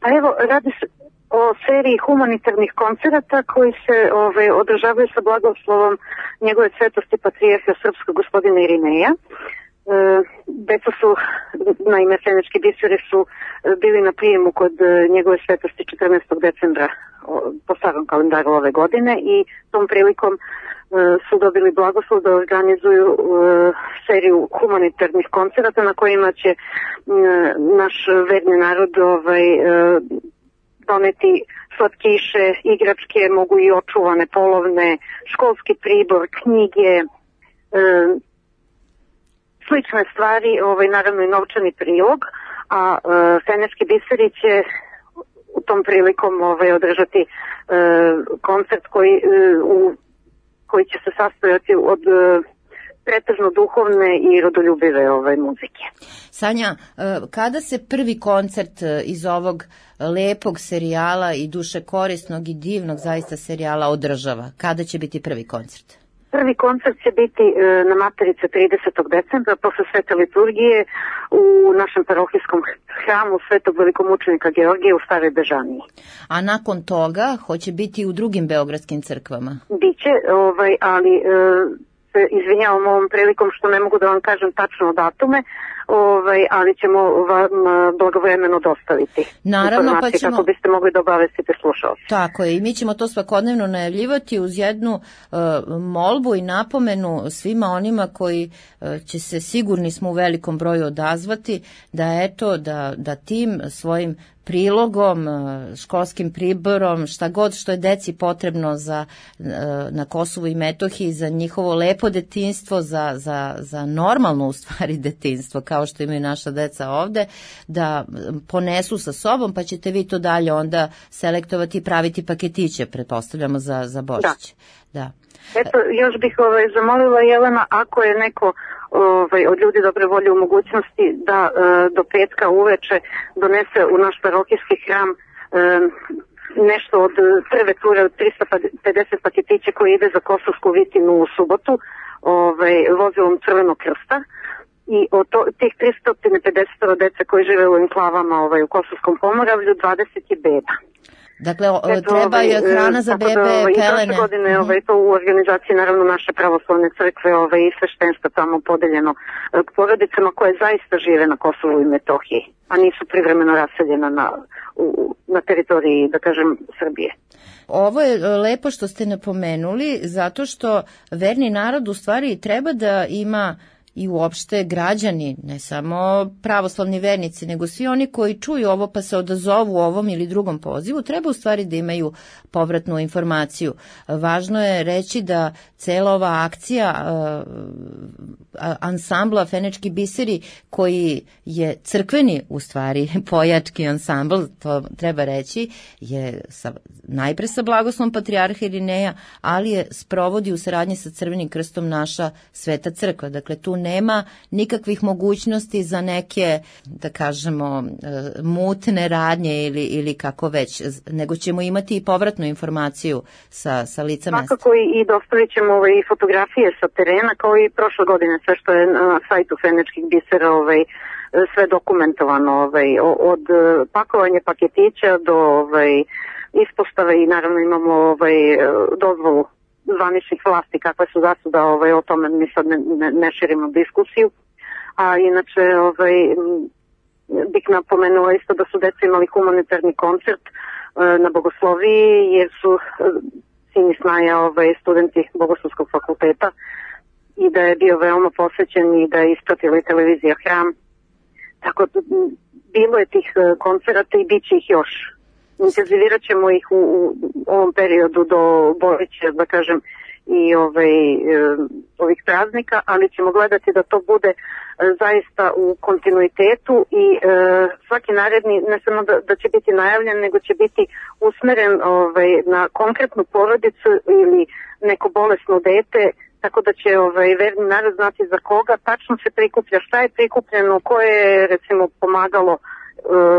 A evo, radi se o seriji humanitarnih koncerata koji se održavaju sa blagoslovom njegove svetosti patrijarha srpskog gospodina Irineja. Deca su, naime, Fenečki biseri su bili na prijemu kod njegove svetosti 14. decembra po starom kalendaru ove godine i tom prilikom su dobili blagoslov da organizuju seriju humanitarnih koncerata na kojima će naš verni narod doneti slatkiše, igračke, mogu i očuvane polovne, školski pribor, knjige, slične stvari, naravno i novčani prilog, a Fenečki biseri će u tom prilikom održati koncert koji će se sastojati od pretežno duhovne i rodoljubive muzike. Sanja, kada se prvi koncert iz ovog lepog serijala i duše korisnog i divnog zaista serijala održava? Kada će biti prvi koncert? Prvi koncert će biti na Materice 30. decembra posle svete liturgije u našem parohijskom hramu Svetog velikomučenika Georgija u Staroj Bežaniji. A nakon toga hoće biti u drugim beogradskim crkvama? Biće, ali se izvinjavam ovom prilikom što ne mogu da vam kažem tačno datume, ali ćemo vam blagovremeno dostaviti informacije kako biste mogli da obavestite slušalce. Tako je, i mi ćemo to svakodnevno najavljivati uz jednu molbu i napomenu svima onima koji će se, sigurni smo, u velikom broju odazvati, da tim svojim prilogom, školskim priborom, šta god što je deci potrebno na Kosovu i Metohiji za njihovo lepo detinjstvo, za normalno u stvari detinjstvo kao što imaju naša deca ovde, da ponesu sa sobom, pa ćete vi to dalje onda selektovati i praviti paketiće, pretpostavljamo, za Božić. Da. Eto, još bih zamolila, Jelena, ako je neko od ljudi dobre volje u mogućnosti da do petka uveče donese u naš parohijski hram nešto od prve ture od 350 paketića koji ide za Kosovsku Vitinu u subotu vozilom Crvenog krsta. I od tih 350 dece koji žive u enklavama u Kosovskom Pomoravlju, 20 je beba. Dakle, treba je hrana za bebe, pelene. I prošle godine to u organizaciji naravno naše pravoslavne crkve i sveštenstva tamo podeljeno k porodicama koje zaista žive na Kosovu i Metohiji, a nisu privremeno raseljena na teritoriji, da kažem, Srbije. Ovo je lepo što ste napomenuli, zato što verni narod u stvari treba da ima i uopšte građani, ne samo pravoslavni vernici, nego svi oni koji čuju ovo pa se odazovu ovom ili drugom pozivu, treba u stvari da imaju povratnu informaciju. Važno je reći da cela ova akcija ansambla Fenečki biseri, koji je crkveni u stvari pojački ansambl, to treba reći, je najpre sa blagoslovom patrijarha Irineja, ali je sprovodi u saradnji sa Crvenim krstom naša Sveta crkva. Dakle, tu nema nikakvih mogućnosti za neke, da kažemo, mutne radnje ili kako već, nego ćemo imati i povratnu informaciju sa lica mesta. Svakako i dostavit ćemo i fotografije sa terena, kao i prošle godine, sve što je na sajtu Fenečkih bisera sve dokumentovano, od pakovanja paketića do ispostave, i naravno imamo dozvolu zvaničnih vlasti kakve su zasuda, o tome mi sad ne širimo diskusiju. A inače bih napomenula isto da su deca imali humanitarni koncert na Bogosloviji, jer su sin i snaja studenti Bogoslovskog fakulteta, i da je bio veoma posvećen i da je ispratila i televizija Hram. Tako da bilo je tih koncerata i bit će ih još. Intenzivirat ćemo ih u ovom periodu do Božića, da kažem, i ovih praznika, ali ćemo gledati da to bude zaista u kontinuitetu i svaki naredni, ne samo da će biti najavljen, nego će biti usmeren na konkretnu porodicu ili neko bolesno dete, tako da će verni narod znati za koga tačno se prikuplja, šta je prikupljeno, koje je recimo pomagalo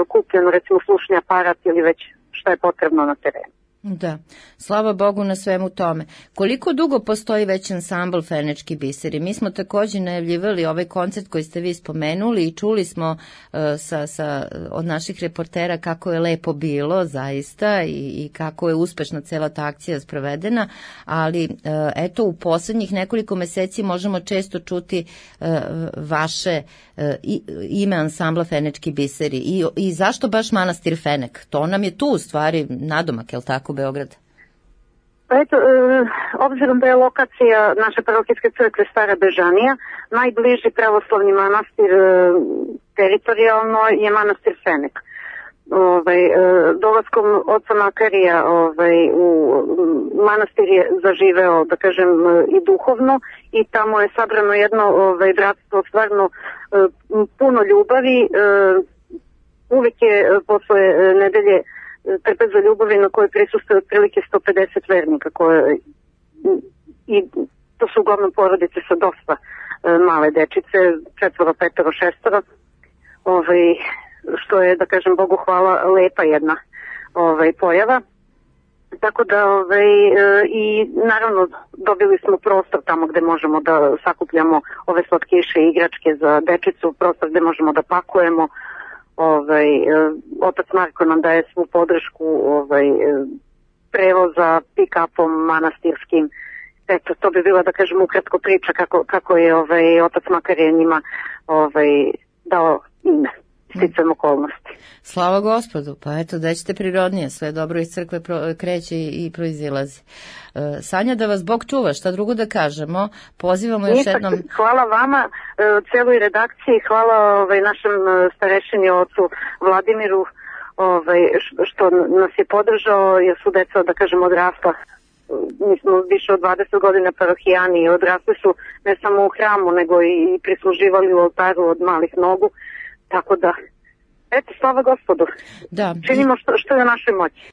kupljeno, recimo slušni aparat ili već šta je potrebno na terenu. Da, slava Bogu na svemu tome. Koliko dugo postoji već ansambl Fenečki biseri? Mi smo također najavljivali ovaj koncert koji ste vi spomenuli i čuli smo od naših reportera kako je lepo bilo zaista i kako je uspešna cela ta akcija sprovedena, ali eto u poslednjih nekoliko meseci možemo često čuti vaše ime ansambla Fenečki biseri i zašto baš manastir Fenek? To nam je tu u stvari nadomak, je li tako, Beograd? Pa eto, obzirom da je lokacija naše parohijske crkve Stara Bežanija, najbliži pravoslavni manastir teritorijalno je manastir Fenek. Dolaskom oca Makarija u manastir je zaživeo, da kažem, i duhovno i tamo je sabrano jedno bratstvo stvarno puno ljubavi. Uvijek je posle nedelje trpeza ljubavi na kojoj prisustuje otprilike 150 vernika i to su uglavnom porodice sa dosta male dečice, 4, 5, 6, što je, da kažem, Bogu hvala, lepa jedna pojava. Tako da i naravno dobili smo prostor tamo gde možemo da sakupljamo ove slatkiše i igračke za dečicu, prostor gde možemo da pakujemo. Otac Marko nam daje svu podršku prevoza pick-upom manastirskim. Eto, to bi bila, da kažem, ukratko priča kako je otac Makarije njima dao ime, sticajem okolnosti. Slava Gospodu, pa eto, da ćete prirodnije, sve dobro iz crkve kreće i proizilazi. Sanja, da vas Bog čuva, šta drugo da kažemo, pozivamo još jednom... Hvala vama, celoj redakciji, hvala našem starešini ocu Vladimiru, što nas je podržao, jer su deca, da kažem, odrasla. Mi smo više od 20 godina parohijani i odrasli su ne samo u hramu, nego i prisluživali u oltaru od malih nogu, tako da, eto, slava Gospodu. Da. Činimo što je u našoj moći.